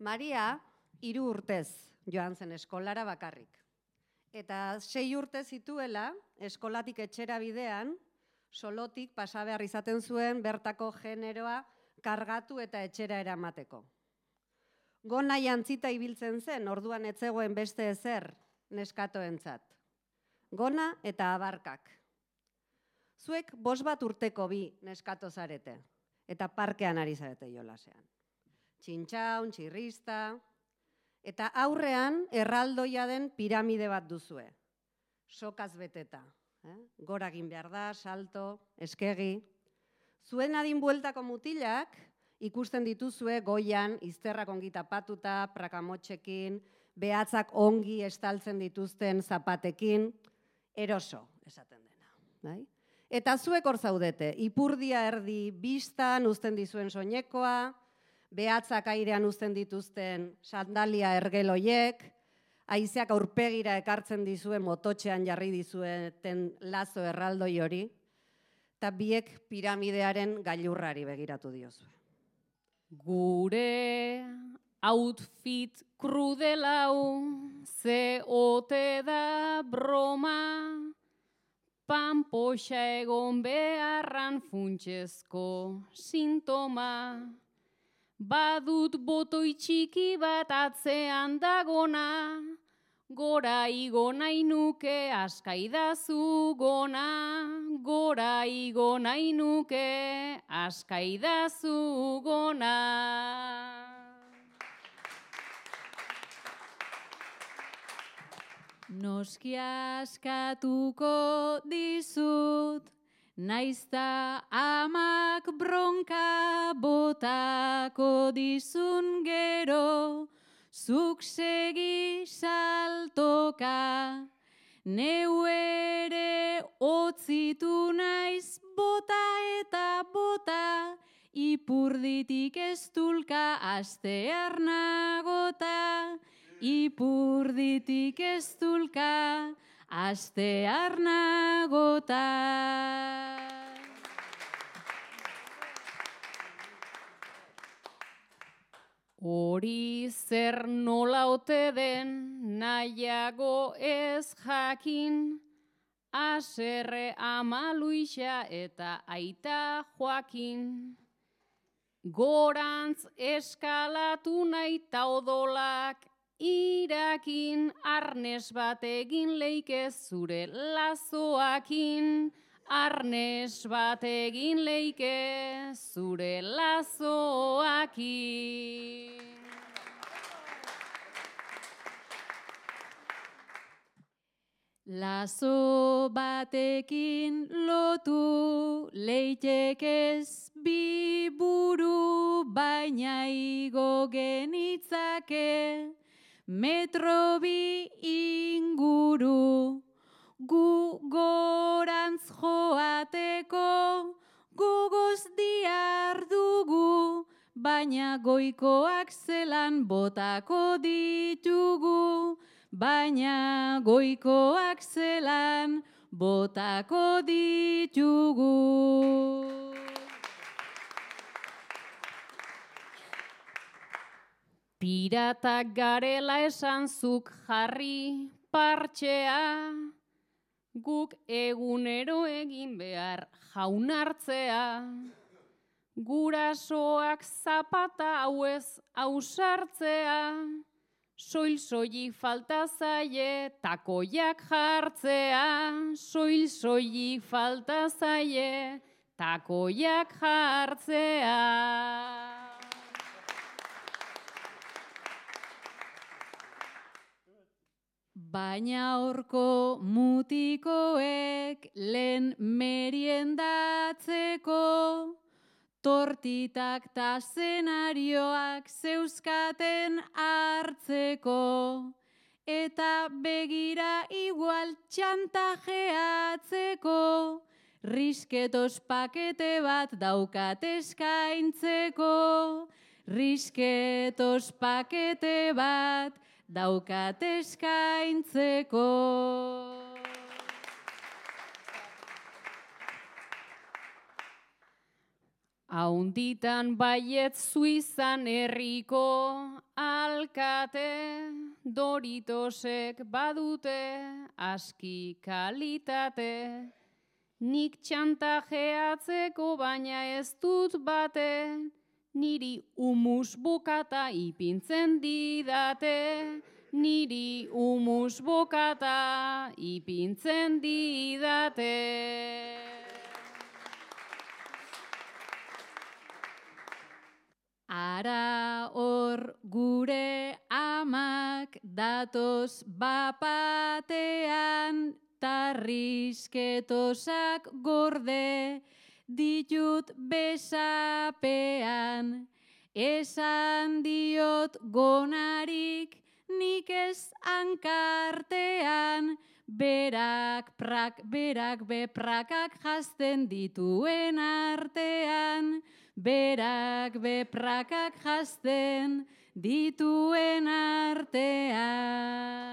Maria 3 urtez joan zen eskolara bakarrik. Eta 6 urte zituela, eskolatik etxera bidean, solotik pasa behar izaten zuen bertako generoa kargatu eta etxera eramateko. Gona jantzita ibiltzen zen, orduan ez zegoen beste ezer neskatoentzat. Gona eta abarkak. Zuek 5 urteko bi neskato zarete, eta parkean ari zarete jolasean. Txintxaun, txirrista, eta aurrean erraldoia den piramide bat duzue. Sokaz beteta. Gora egin behar da, salto, eskegi. Zuen adin bueltako mutilak ikusten dituzue goian, izterrak ongi tapatuta, prakamotxekin, behatzak ongi estaltzen dituzten zapatekin, eroso, esaten dena. Eta zuek hor zaudete, ipurdia erdi bistan uzten dizuen soinekoa, behatzak airean uzten dituzten sandalia ergeloiek, haizeak aurpegira ekartzen dizuen mototxean jarri dizueten lazo erraldoi hori, eta biek piramidearen gailurrari begiratu diozue. Gure outfit krudelau, ze ote da broma, panpoxa egon beharran funtsezko sintoma. Badut botoi txiki bat atzean dagona, gora igo nahi nuke askaidazu gona, gora igo nahi nuke askaidazu gona. Noski askatuko dizut, naizta amak bronka botako dizun gero, zuk segi saltoka, neu ere otzitu naiz bota eta bota, ipurditik eztulka astear nagota, ipurditik eztulka astear nagota. Hori zer nola ote den nahiago ez jakin, Aserre ama Luisa eta aita Joakin. Gorantz eskalatu nahi ta odolak irakin, arnes bat egin leike zure lazoakin, arnes bat egin leike zure lazoakin. Lazo batekin lotu leitekez bi buru, baina igo genitzake metro bi inguru. Gu gorantz joateko gogoz diardugu, baina goikoak zelan botako ditugu, baina goikoak zelan botako ditugu. Piratak garela esan zuk jarri partxea, guk egunero egin behar jaunartzea. Gurasoak zapata hauez ausartzea, soil-soilik falta zaie takoiak jartzea, soil-soilik falta zaie takoiak jartzea. Baina horko mutikoek lehen meriendatzeko, tortitak ta zenarioak zeuzkaten hartzeko, eta begira igual txantajeatzeko, risketos pakete bat daukat eskaintzeko, risketos pakete bat daukat eskaintzeko. Haunditan baiet Suizan herriko alkate, Doritosek badute aski kalitate. Nik txantajeatzeko baina ez dut bate, niri humus bokata ipintzen didate. Niri humus bokata ipintzen didate. Ara hor gure amak datoz bapatean, tarrisketosak gorde ditut besapean. Esan diot gonarik nik ez hankartean, berak beprakak jazten dituen artean. Berak beprakak jazten dituen artean.